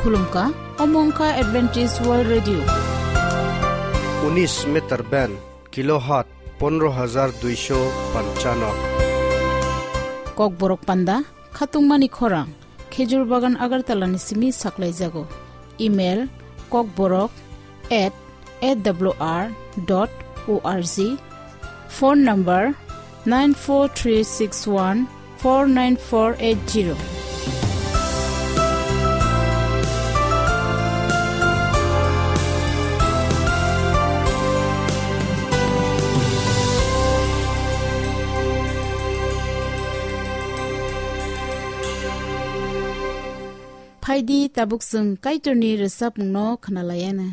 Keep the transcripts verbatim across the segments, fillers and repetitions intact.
Khulumkha, omo wngkha Adventist World Radio. Unis meter band, kilohertz pondro hajar duisho panchano. Kokborok panda, khatungmani khorang, Khejur Bagan Agartala ni simi saklaijago. Email, kokborok at A W R dot O R G. Phone number nine four three six one four nine four eight zero. Phaidi tabuk chwng Kaitorni rwchapmungno khwnalaiana.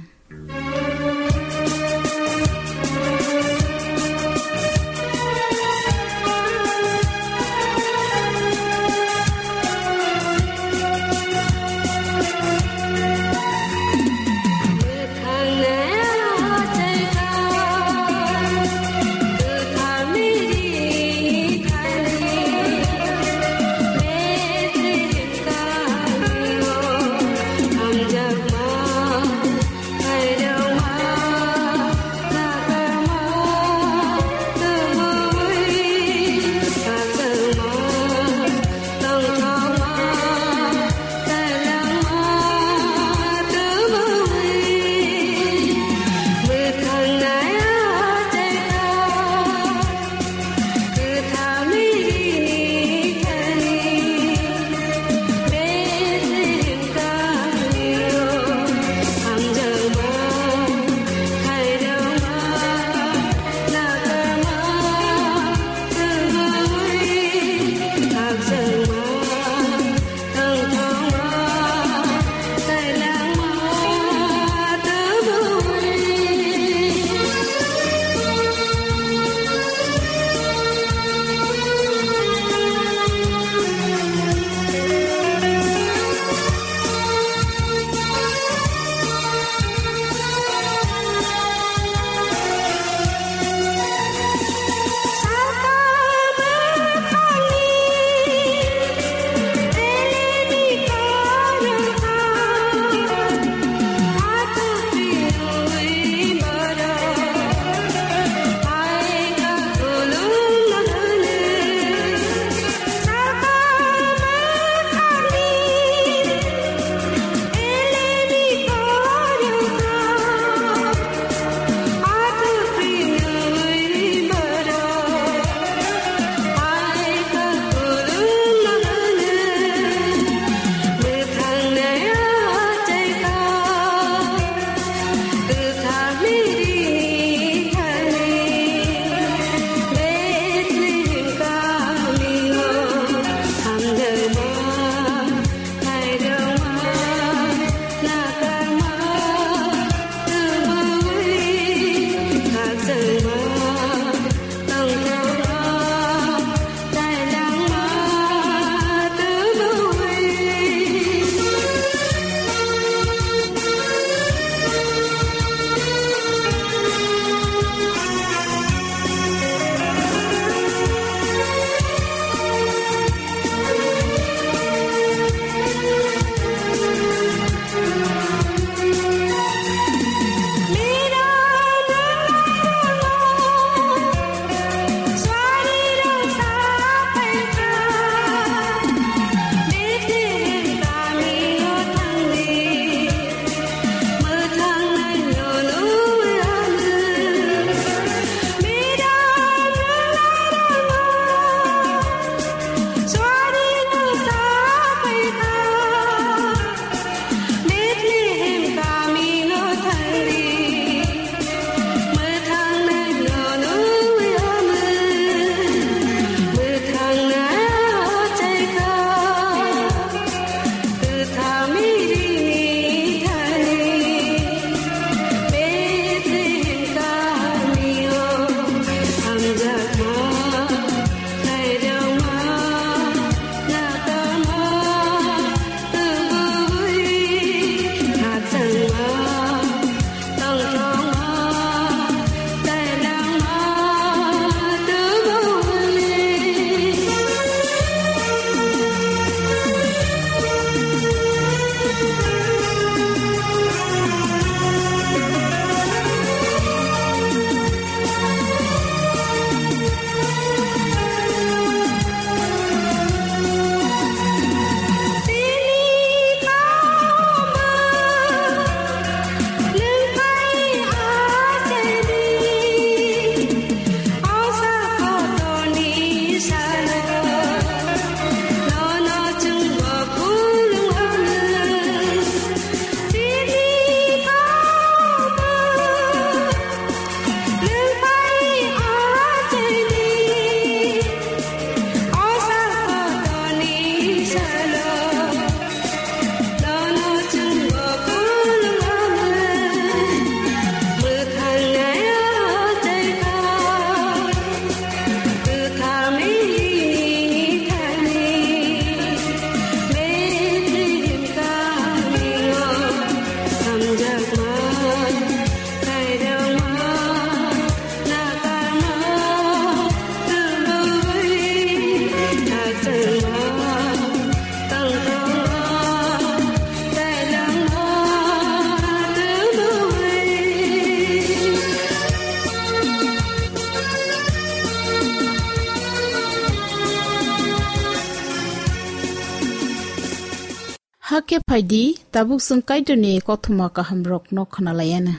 Khe phai di, tabuk chwng Kaitorni kothoma kahamrokno khna lai anw.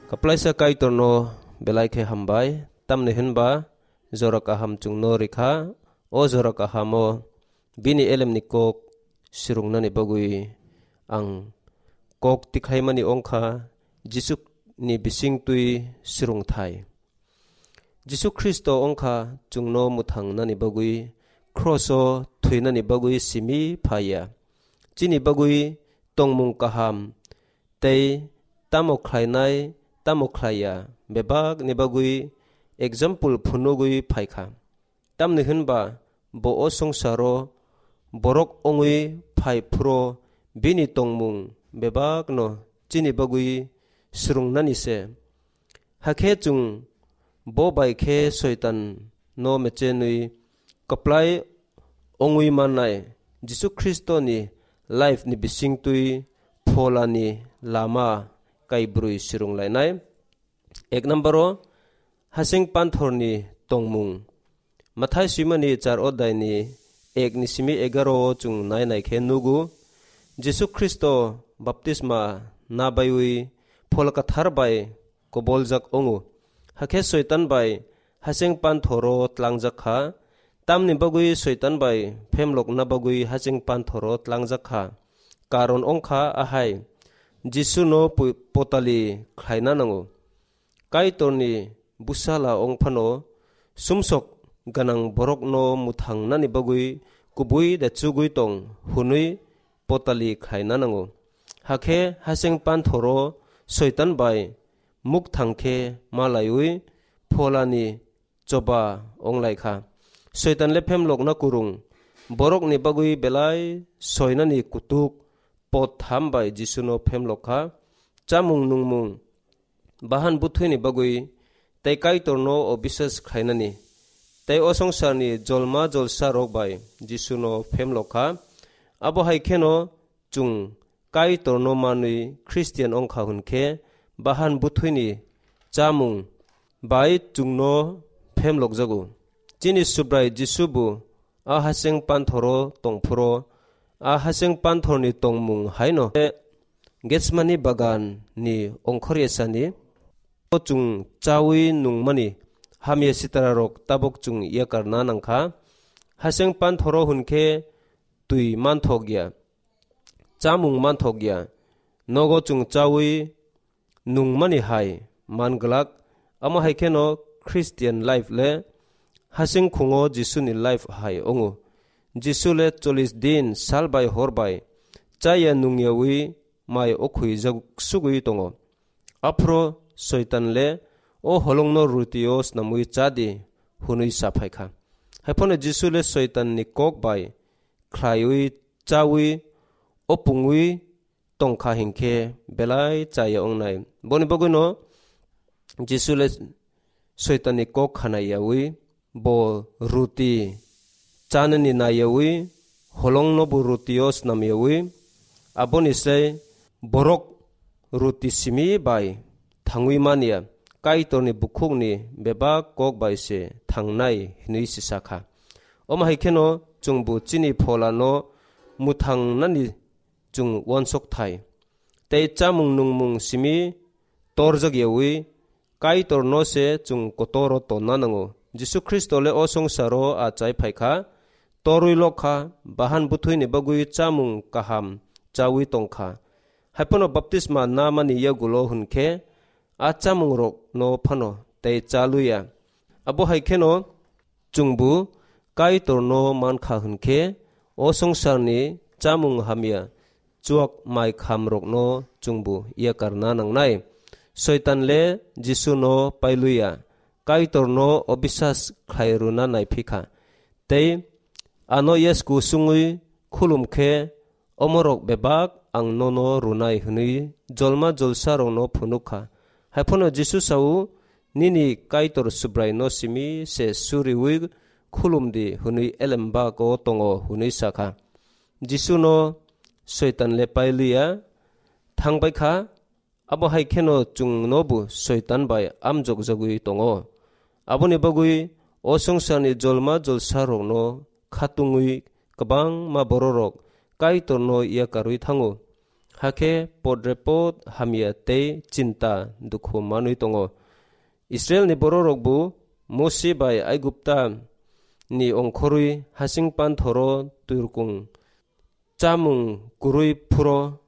Kwplaisa Kaitorno belai khe hambai, tamni hwn ba jora kaham chwngno rikha, o jora kahamo bini elemni kok swrwngnani bagwi ang kok tikhlaimani wngkha Jisuni bisingtwi swrwngthai. Jisu Khristo wngkha chwngno mwthangnani bagwi, kroso thwinani bagwi simi phaiya. Chini bagwi tongmung kaham tei tamo khlainai, tamo khlaiya, bebakni bagwi example phunugwi phaikha. Tamni hwn ba bo o swngcharo borok wngwi phai phuru bini tongmung bebakno chini bagwi swrwngnani se. Hakhe chwng bo bai khe Soitanno mechenwi kwplai wngwi mannai Jisu Khristoni life ni bisingtwi pholani lama kaibrwi swrwnglainai. Ek number o, hasing panthorni tongmung. Mathai swimani char odai ni ek ni simi egaro o chwng nai nai khe nugo, Jisu Khristo baptisma na baiwi Phola Kwthar bai koboljak wngo. Hakhe Soitan bai hasing panthoro tlangjak kha. Tamni bagwi Soitan bai phemlokna bagwi hasing panthoro tlangjak kha. Karon wngkha ahai, Jisuno pu-, potali khlaina nango. Kaitorni bwsala wng phano sumsok gwnang borokno mwthangnani bagwi kubui da chugui tong hwnwi potali khlaina nango. Hakhe hasing panthoro Soitan bai muk thang khe ma laiwi pholani choba wng lai kha. Soitan le phemlokna kwrwng, borokni bagwi belai soinani kutuk pot tham bai Jisuno phemlok kha. Chamung nungmung, bahan bwthwini bagwi tei Kaitorno obisas khlainani tei o swngcharni jolma jolsa rok bai Jisuno phemlok kha. Abo hai kheno chwng Kaitorno manwi Christian wngkha hwnkhe bahan bwthwini chamung bai chwngno phemlokjago. Chini Subrai Jisu bo a haseng panthoro tongphuro, a haseng panthorni tongmung haino Getsemani bagan ni ongkhor yasani o chwng chawi nungmani hamya sitararok tabok chwng yakarna nangkha. Haseng panthoro hwnkhe twi manthok ya, chamung manthok ya, nogo chwng chawi nungmani hai man glak. Amo hai kheno Christian life le hasing khungo Jisuni life hai wngo. Jisu le chollish din sal bai hor bai chaya nungyawi mai o khwijak sugwi tongo. Aphro Soitan le, "O holongno rutio snamwi cha di," hwnwi sa phai kha. Haiphano Jisu le Soitanni kok bai khlaiwi chawi o pungwi tong kha hinkhe belai chaya wngnai. Boni bagwino Jisu le Soitanni kok khana yawi, bo ruti chanani na yawi, holongno bo rutio snam yawi, aboni se borok ruti simi bai thangwi manya, Kaitorni bukhukni bebak kok bai se thangnai, hwnwi se sa kha. Omo hai kheno chwngbo chini pholano mwthangnani chwng uansuk thai. Tei chamung nungmung simi torjak yawi Kaitorno se chwng kotoro tonna nango. Jisu Khristo le o swngcharo achai phai kha, torwi lok kha, bahan bwthwini bagwi chamung kaham chawi tong kha. Haiphano baptisma namani yagulo hwnkhe a chamungrokno phano tei cha luya. Abo hai kheno chwngbo Kaitorno man kha hwnkhe, o swngcharni chamung hamya chuak mai khamrokno chwngbo yakarna nangnai. Soitan le Jisuno pailuya, Kaitorno obisas khlai rwna naiphi kha. Tei ano yasku sungwi khulum khe, "Omorok bebak ang nono rwnai," hwnwi jolma jolsarokno phunuk kha. Haiphano Jisu sao, "Nini Kaitor Subraino simi se suriwi khulum di," hwnwi elembak o tongo, hwnwi sa kha. Jisuno Soitan le pailiya, thang bai kha, Abo hai kheno chwngnobo Soitan bai amjokjagwi tongo. Aboni bagwi o swngcharni jolma jolsarokno khatungwi kwbangma bororok Kaitorno yakarwi thango. Hakhe podrepot hamya tei chinta dukhu manwi tongo. Israilni bororokbo Mosi bai Aigupta ni ongkhorwi hasing panthoro twirkung chamung kwrwi phuro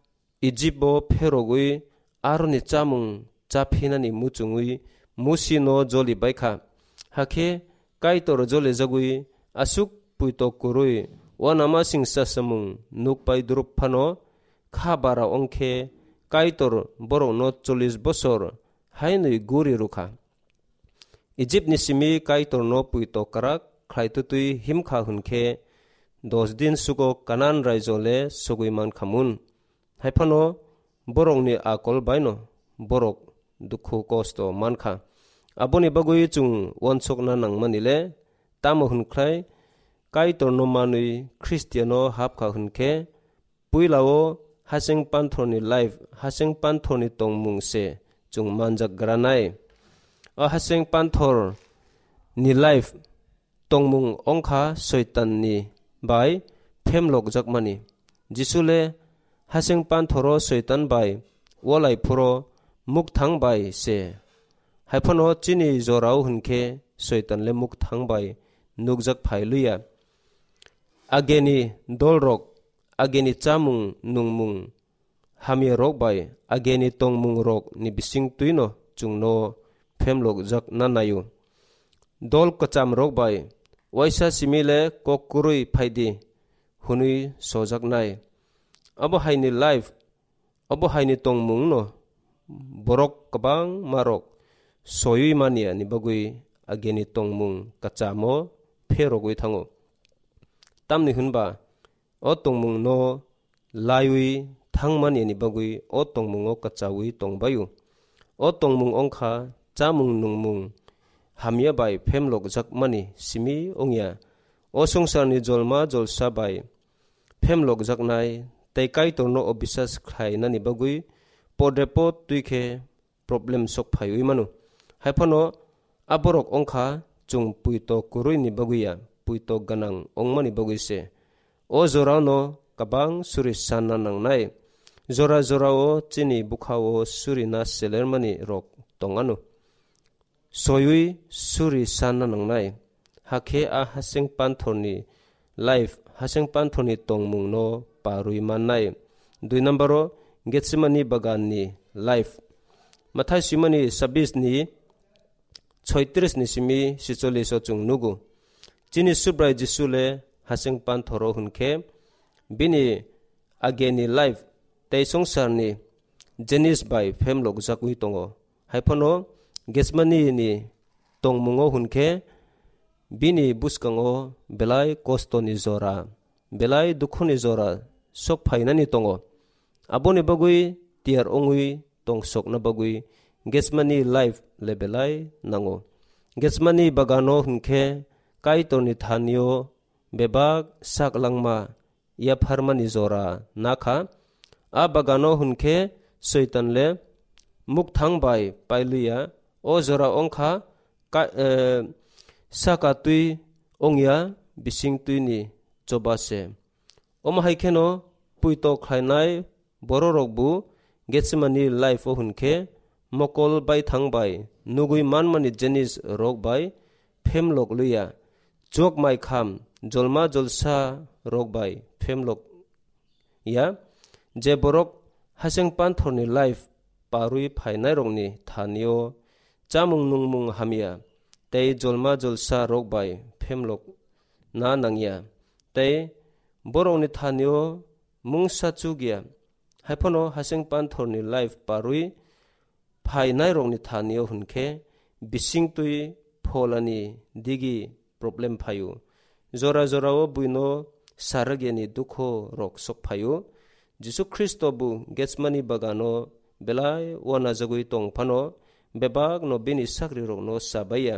Ijipbo pherogwi aroni chamung chaphinani muchungwi Musino joli baikha. Hakhe Kaitor jolijagwi aswk puitok kwrwi uanamasing chasamung nukpai drup phano kha bara wngkhe Kaitor borokno chollish bosor hainwi guri rwkha. Ijipni simi Kaitorno puitok kwrak khlaitutwi himkha hwnkhe, dos din sugo Kanan raijo le sogwi mankhamun. Haiphano borokni akol baino borok dukhu kosto mankha. Aboni bagwi chwng uansukna nangmani le tamo hwnkhlai Kaitorno manwi Khristiano hapkha hwnkhe, puilao hasing panthorni life, hasing panthorni tongmung se chwng manjak granai. O hasing panthorni life tongmung wngkha Soitanni bai phemlokjakmani. Jisu le hasing panthoro Soitan bai walai phuro mukthang bai se. Haiphano chini jorao hwnkhe Soitan le mukthang bai nukjak phai luya. Ageni dolrok, ageni chamung nungmung hamyarok bai ageni tongmungrokni bisingtwino chwngno phemlokjakna naio. Dol kwchamrok bai, "Waisa simi le kok kwrwi phai di," hwnwi sojaknai. Abo haini life, abo haini tongmungno borok kwbangmarok soiwi manyani bagwi ageni tongmung kwchamo pherogwi thango. Tamni hwnba o tongmungno laiwi thangmani ni bagwi o tongmungo kwchaui tongbaio. O tongmung wngkha chamung nungmung hamya bai phemlokjakmani simi wngya. O swngcharni jolma jolsa bai phemlokjaknai tei Kaitorno o bisas khlainani bagwi podre pod twi khe problem sok phaiwi mano. Haiphano a borok wngkha chwng puito kwrwini bagwi ya, puito gwnang wngmani bagwi se. O jorano kwbang suri sanna nangnai. Jora jorao chini bukhao surina selermani rok tong ano. Soiwi suri sanna nangnai. Hakhe a hasing panthorni life, hasing panthorni tongmungno parwi mannai. Dui nambaro, Getsemani baganni life. Mathai swimani sabis ni soitris ni simi sicholis o chwng nugo. Chini Subrai Jisu le hasing panthoro hwnkhe bini ageni life tei swngcharni jenis bai phemlokjakwi tongo. Haiphano Getsemani ni tongmungo hwnkhe bini bwskango belai kostoni jora, belai dukhuni jora sok phainani tongo. Aboni bagwi tiyar wngwi tongsokna bagwi Getsemani life le belai nango. Getsemani bagano hwnkhe Kaitorni thanio bebak sak langma yapharmani jora nakha. A bagano hwnkhe Soitan le mukthang bai pailiya. O jora wngkha ka-, eh, saka twi wngya bising twini choba se. Omo hai kheno puito khlainai bororokbo Getsemani life o hwnkhe mokol baithang bai nugwi manmani jenis rok bai phemlok luya, chok mai kham jolma jolsa rok bai phemlok ya, je borok haseng panthorni life parwi phainairokni thanio chamung nungmung hamya tei jolma jolsa rok bai phemlok na nangya, tei borokni thanio mungsa chukya. Haiphano haseng panthorni life parwi phainairokni thanio hwnkhe bisingtwi pholani digi problem phaio. Jora jorao buino saragyani dukho rok sok phaio. Jisu Khristo bo Getsemani bagano belai uanajagwi tong phano bebakno bini sakrirokno chabaiya.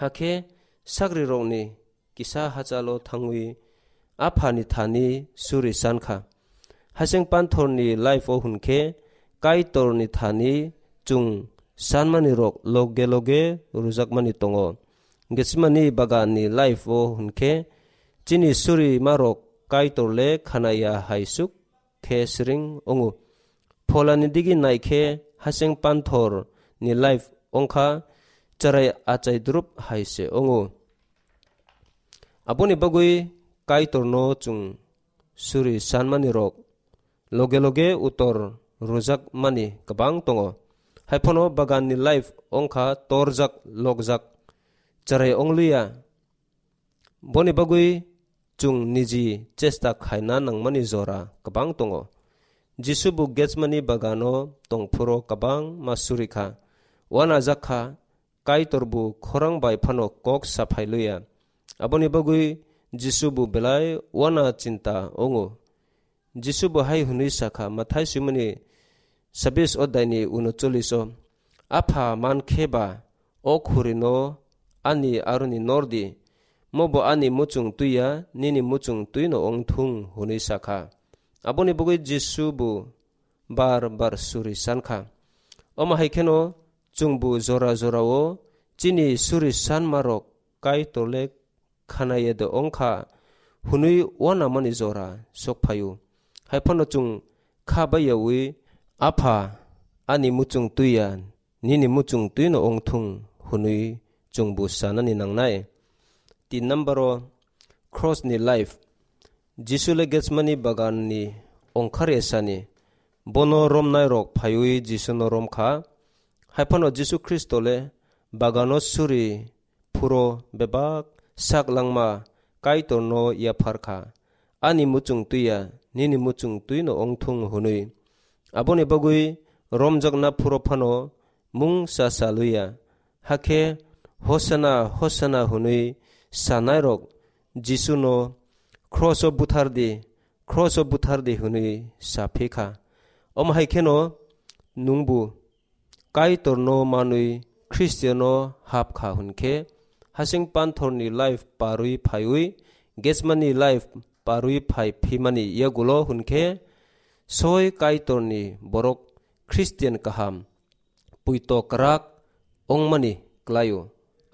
Hakhe sakrirokni kisa hachalo thangwi Aphani thani suri sankha. Haseng panthorni life o hwnkhe Kaitorni thani chwng sanmani rok loge loge rwjakmani tongo. Getsemani baganni life o hwnkhe chini surimarok Kaitor le khanaya hai suk khe siring wngo. Pholani digi naikhe hasing panthor ni life wngkha cherai achai drup hai se wngo. Aboni bagwi Kaitorno chwng suri sanmani rok loge loge utor rwjak mani kwbang tongo. Haiphano baganni life wngkha torjak lokjak cherai ongliya. Boni bagwi chwng niji chesta khaina nangmani jora kwbang tongo. Jisu bo Getsemani bagano tongphuru kwbangma suri kha, uanajak kha, Kaitor bo khorang bai phano kok saphai luya. Aboni bagwi Jisu bo belai uana chinta wngo. Jisu bo hai hwnwi sakha, Mathai swimani sabis odai ni unocholish o, "Apha, man khe ba o khuri no ani aroni nor di, mo bo ani muchung twi ya, nini muchung twi no ong thung," hwnwi sakha. Aboni bagwi Jisu bo bar bar suri san kha. Omo hai kheno chwng bo jora jora o chini suri sanma rok Kaitor le khana ya de ong kha hwnwi uanamani jora sok phaio. Haiphano chwng kha bai yaui, "Apha, ani muchung twi ya, nini muchung twi no ong thung," hwnwi chwng bo sanani nangnai. Tin number o, cross ni life. Jisu le Getsemani bagan ni ongkhar ya sani. Bono romnai rok phaiwi Jisu no rom kha. Haiphano Jisu Khristo le bagano suri phuro bebak sak langma Kaitor no yaphar kha, "Ani muchung twi ya, nini muchung twi no ong thung," hwnwi. Aboni bagwi romjakna phuro phano mung sa sa luya. Hakhe, "Hosana, Hosana," hwnwi sanai rok Jisu no, "Cross o buthar di, cross o buthar di," hwnwi sa phi kha. Omo hai kheno nungbu Kaitor no manwi Khristiano hap kha hwnkhe, hasing panthor ni life parwi phaiwi Getsemani life parwi phai phimani yagulo hwnkhe, soi Kaitor ni borok Khristian kaham puito kwrak ongmani klaio.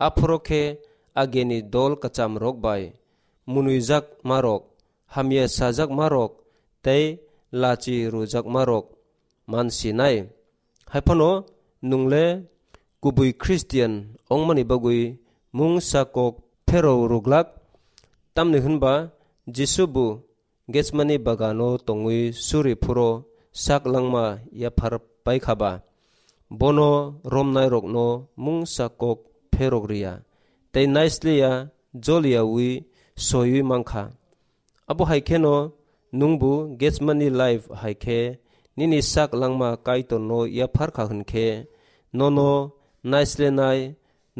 Aphoro khe ageni dol kwcham rok bai munwijak marok, hamya sajak marok tei lachi rwjak marok mansinai. Haiphano nwngle kubui Khristian ongmani bagwi mungsa kok pherw rwglak, tamni hwnba Jisu bo Getsemani bagano tongwi suri phuro sak langma yaphar pai kha ba, bono romnai rokno mungsa kok pherok riya tei naisliya joliyaui soiwi man kha. Abo hai kheno nwngbo Getsemani life hai khe nini sak langma Kaitorno yaphar kha hwn khe, nono naislenai,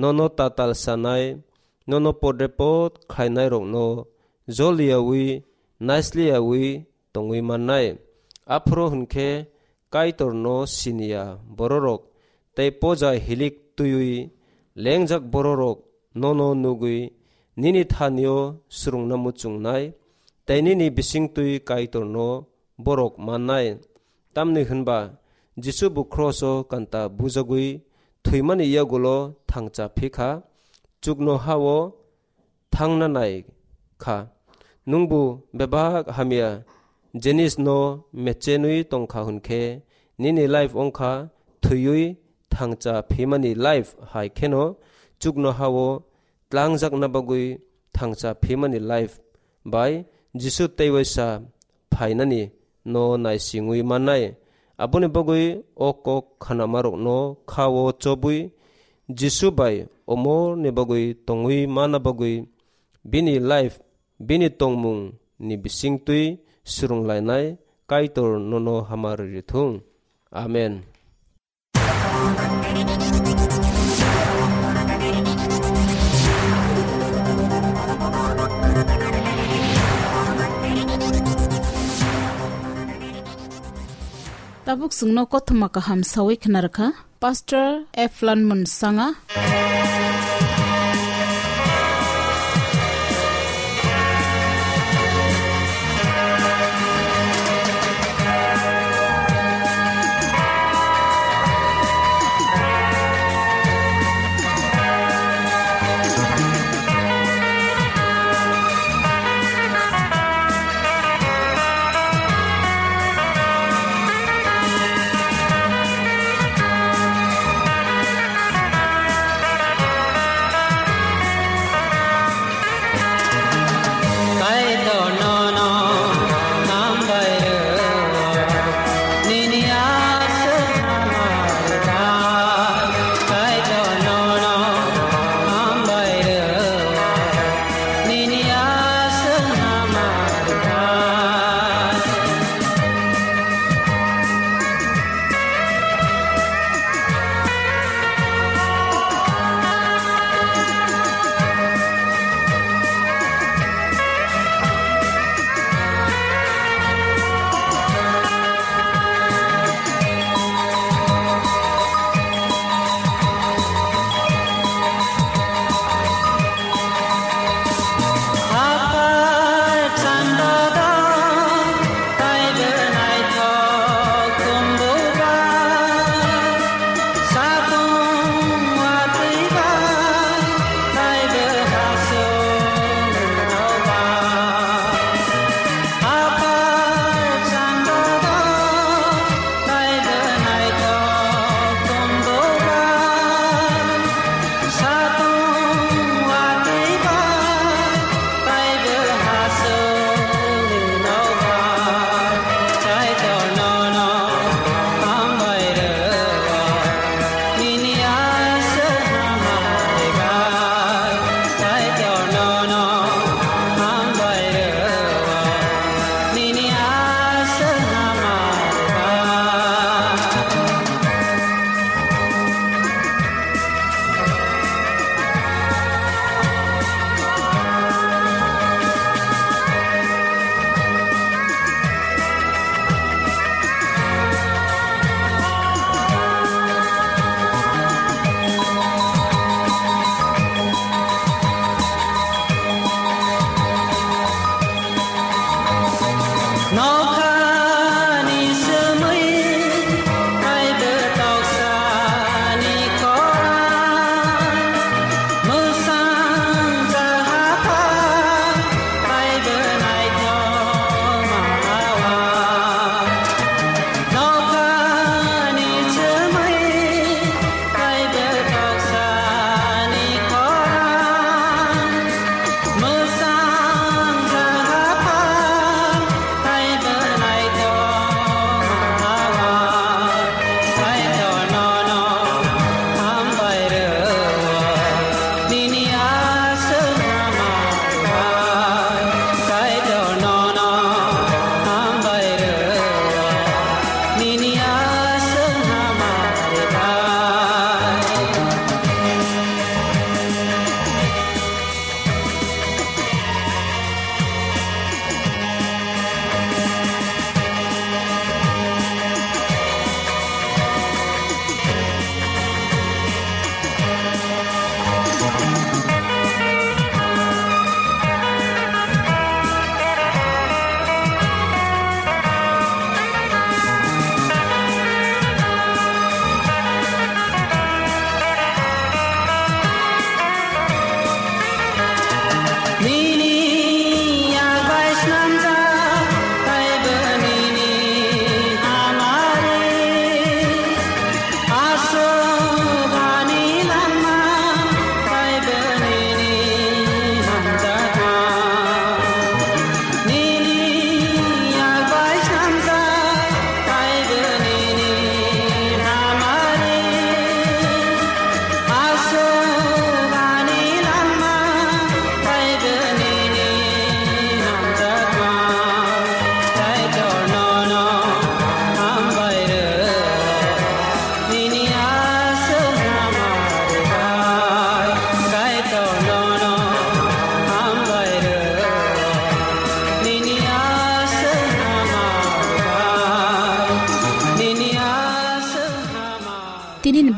nono tatal sanai, nono podrepot khlainairokno joliyaui, naisliyaui tongwi mannai. Aphuru hwn khe Kaitorno siniya bororok tei poja hilik twiwi lengjak bororok nono nugwi nini thanio swrwngna muchungnai, tei nini bisingtwi Kaitorno borok mannai. Tamni hwnba Jisu bo kroso kanta bujagwi thwimani yagulo thangcha phi kha, chuknoha-o thangna nai kha. Nwngbo bebak hamya jinisno mechenwi tong kha hwn khe, nini life wng kha thwiwi thangcha phimani life, hai kheno chuknoha-o tlangjakna bagwi thangcha phimani life bai Jisu teiwaisa phainani no naisingwi mannai. Aboni bagwi o kok khanamarokno kha-o chobwi Jisu bai omorni bagwi tongwi mana bagwi bini life, bini tongmung ni bisingtwi swrwnglainai Kaitor nono hamari rithung. Amen. Tabuk chwngno kothoma kaham sawi khna rwkha Pastor Eflan Munsanga.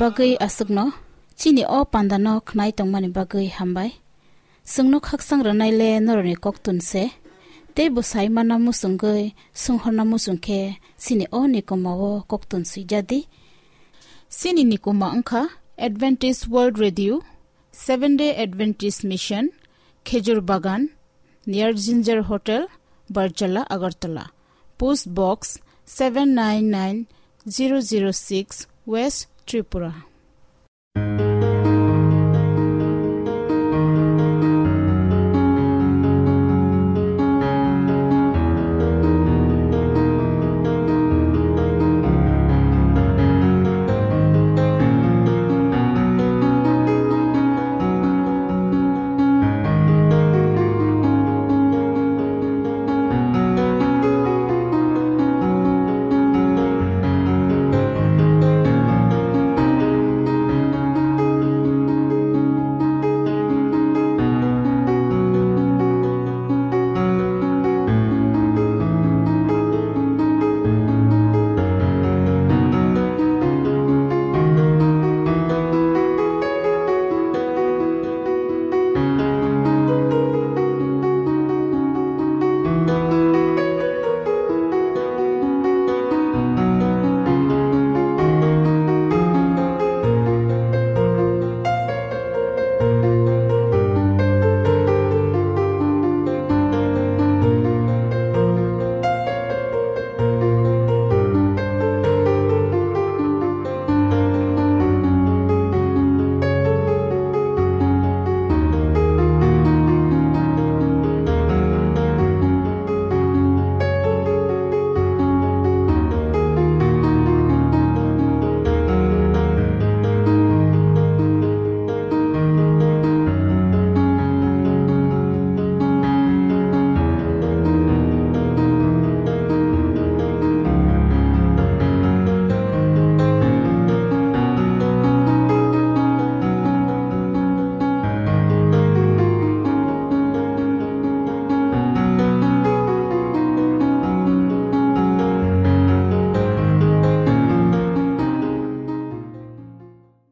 Bagwi aswkno chini o pandano khnai tongmani bagwi hambai. Chwngno khakchang rwnaile norokni koktun se. Tei bo sai mana muchungwi swnghorna muchung khe chini o nikoma o koktun swijadi. Chini nikoma wngkha Adventist World Radio, Seven Day Adventist Mission, Khejur Bagan, near Ginger Hotel, Barjala, Agartala. Post Box seven nine nine zero zero six, West Tripura.